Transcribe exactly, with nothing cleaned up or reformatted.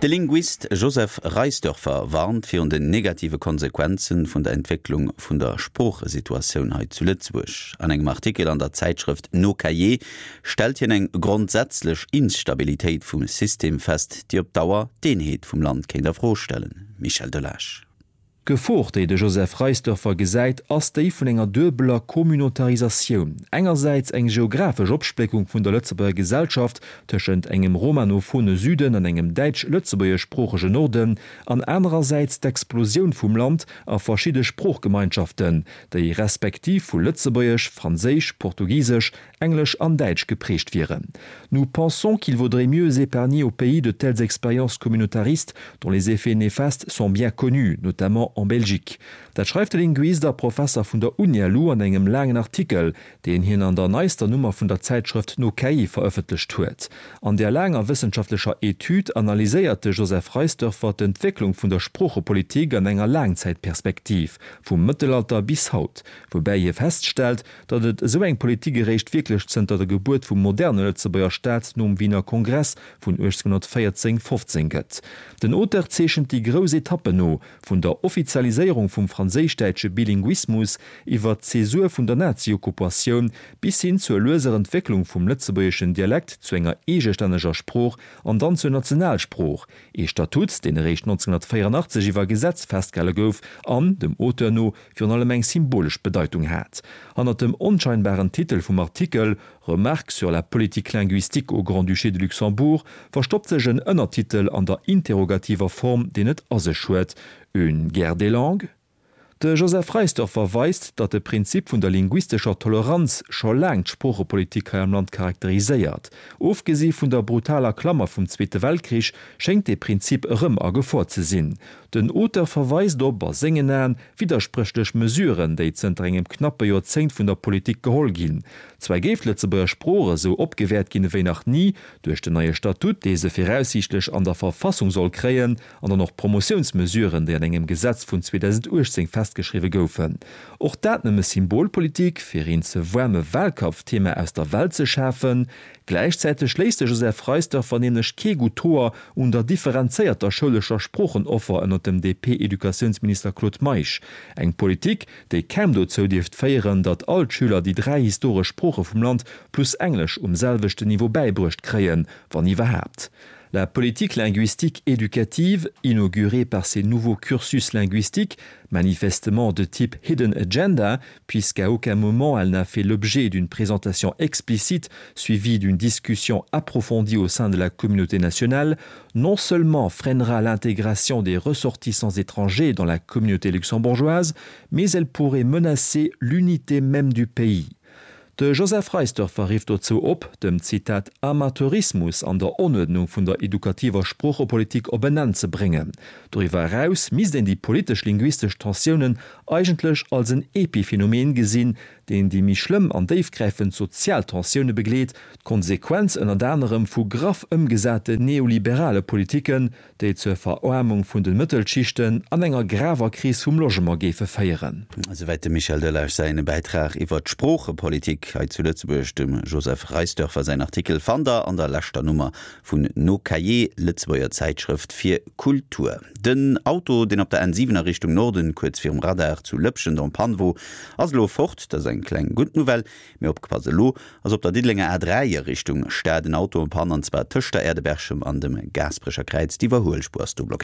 De Linguist Joseph Reisdörfer warnt virun den negative Konsequenze vun der Entwécklung vun der Sproochesituatioun hei zu Lëtzebuerg. An engem Artikel an der Zäitschrëft Nos Cahiers stellt hien eng grondsätzlech Instabilitéit vum System fest, déi op Dauer d'Eenheet vum Land kéint a Fro stellen. Michel Delage. D'Gefor, déi de Joseph Reisdörfer gesäit, ass déi vun enger duebeler Communautarisatioun. Engersäits eng geographesch Opspléckung vun der Lëtzebuerger Gesellschaft tëschent engem romanophone Süden an engem däitsch-lëtzebuergeschsproochegen Norden an anerersäits d'Explosioun vum Land a verschidde Sproochgemeinschaften, déi respektiv vu Lëtzebuergesch, Franséisch, Portugisesch, Englesch an Däitsch geprägt wieren. Nous pensons qu'il vaudrait mieux épargner au pays de telles expériences communautaristes dont les effets néfastes sont bien connus, notamment en Belgique. Dat schreift de Linguist a Professer vun der UniLu an engem laangen Artikel, deen hien an der neister Nummer vun der Zäitschrëft Nos Cahiers verëffentlecht huet. An der laanger wëssenschaftlecher Etüd analyséiert de Joseph Reisdörfer d'Entwécklung vun der Sproochepolitik an enger Laangzäitperspektiv, vum Mëttelalter bis haut, woubäi hie feststellt, datt et esou eng Politik eréischt wierklech zënter der Gebuert vum moderne Lëtzebuerger Staat nom Wiener Kongress vun uechtzénghonnertvéierzéng fofzéng gëtt. Den Auteur zeechent déi grouss Etappen no, vun der Offizialiséierung vum franséisch-däitsche Bilinguismus iwwer d'Zäsur vun der Nazi-Okkupatioun bis hin zur lueser Entwécklung vum lëtzebuergeschen Dialekt zu enger eegestänneger Sprooch an dann zur Nationalsprooch, ee Statut, deen eréischt neunzehnhunnertvéierundachtzeg iwwer Gesetz festgehale gouf an, dem Auteur no, virun allem eng symbolesch Bedeitung hat. Hannert dem onscheinbaren Titel vum Artikel Remarques sur la politique linguistique au Grand-Duché de Luxembourg verstoppt sech en Ënnertitel an der interrogativer Form, deen et a sech huet, Une guerre des langues? De Joseph Reisdörfer weist, datt de Prinzip vun der linguistescher Toleranz scho laang d'Sproochepolitik hei am Land charakteriséiert. Ofgesi vun der brutaler Klammer vum Zweete Weltkrich schéngt dee Prinzip erëm a Gefor ze sinn. Den Auteur verweist op, a sengen Aen, widderspréchlech Mesuren, déi zënter engem knappe Joerzéngt vun der Politik geholl ginn. Zwar géif d'Lëtzebuerger Sprooch esou opgewäert ginn ewéi nach ni, duerch den neie Statut, dee se viraussiichtlech an der Verfassung soll kréien, an dann och Promotiounsmesuren, déi an engem Gesetz vun zweedausendachtzéng festgeschriwwe goufen. Och dat nëmme Symbolpolitik, fir een ze waarme Wahlkampfthema aus der Welt ze schafen? Gläichzäiteg léisst de Joseph Reisdörfer nämlech kee gutt Hoer un der differenzéierter schoulescher Sproochenoffer ënner dem D P-Educatiounsminister Claude Meisch. Eng Politik, déi kaum dozou dierft féieren, datt all d'Schüler déi dräi historesch Sprooche vum Land plus Englesch um selwechten Niveau bäibruecht kréien, wann iwwerhaapt. La politique linguistique éducative, inaugurée par ces nouveaux cursus linguistiques, manifestement de type Hidden Agenda, puisqu'à aucun moment elle n'a fait l'objet d'une présentation explicite suivie d'une discussion approfondie au sein de la communauté nationale, non seulement freinera l'intégration des ressortissants étrangers dans la communauté luxembourgeoise, mais elle pourrait menacer l'unité même du pays. De Joseph Reisdörfer rifft dozou op, dem Zitat Amateurismus an der Unuerdnung vun der edukativer Sproochepolitik op en Enn ze bréngen. Doriwwer eraus misst een déi politesch-linguistesch Tensiounen eigentlech als en Epiphenomen gesinn, deen déi méi schlëmm an déifgräifend sozial Tensioune begleet, d'Konsequenz ënnert anerem vu graff ëmgesaten neoliberale Politiken, déi zur Veraarmung vun de Mëttelschichten an enger graver Kris vum Logement géife féieren. Esouwäit dem Michel Delage säin Bäitrag iwwer d'Sproochepolitik hei zu Lëtzebuerg. Dem Joseph Reisdörfer säin Artikel fannt der an der leschter Nummer vun Nos Cahiers, Lëtzebuerger Zäitschrëft fir Kultur. Den Auto, deen op der N siwen a Richtung Norden kuerz virum Radar zu Lëpschent en panne wor, ass elo fort. Dat ass eng kleng gutt Nouvelle. Mee opgepasst, elo ass op der Diddelenger A dräi a Richtung Stad en Auto en panne, an zwar tëscht der Aire de Berchem an dem Gaasperecher Kräiz. D'Iwwerhuelspuer ass do blockéiert.